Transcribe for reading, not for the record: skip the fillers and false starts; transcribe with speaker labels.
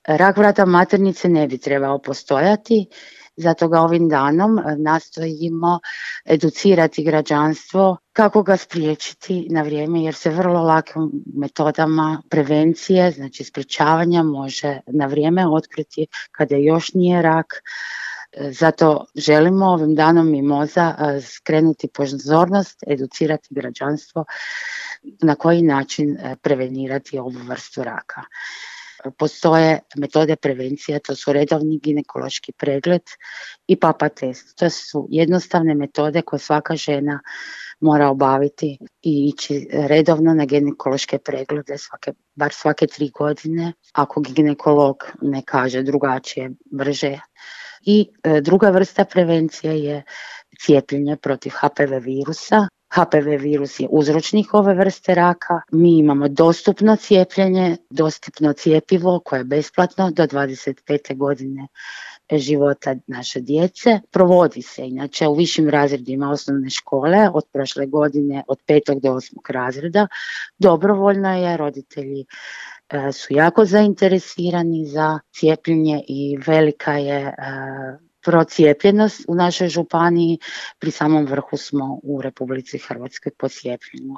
Speaker 1: Rak vrata maternice ne bi trebao postojati, zato ga ovim danom nastojimo educirati građanstvo kako ga spriječiti na vrijeme, jer se vrlo lakim metodama prevencije, znači sprječavanja, može na vrijeme otkriti kada još nije rak. Zato želimo ovim danom Mimoza skrenuti pozornost, educirati građanstvo na koji način prevenirati ovu vrstu raka. Postoje metode prevencije, to su redovni ginekološki pregled i papa test. To su jednostavne metode koje svaka žena mora obaviti i ići redovno na ginekološke preglede bar svake 3 godine, ako ginekolog ne kaže drugačije, brže. I druga vrsta prevencije je cijepljenje protiv HPV virusa. HPV virus je uzročnik ove vrste raka. Mi imamo dostupno cijepljenje, dostupno cjepivo koje je besplatno do 25. godine života naše djece. Provodi se inače u višim razredima osnovne škole od prošle godine od 5. do 8. razreda. Dobrovoljno je, roditelji su jako zainteresirani za cijepljenje i velika je procijepljenost u našoj županiji. Pri samom vrhu smo u Republici Hrvatskoj po cijepljenju.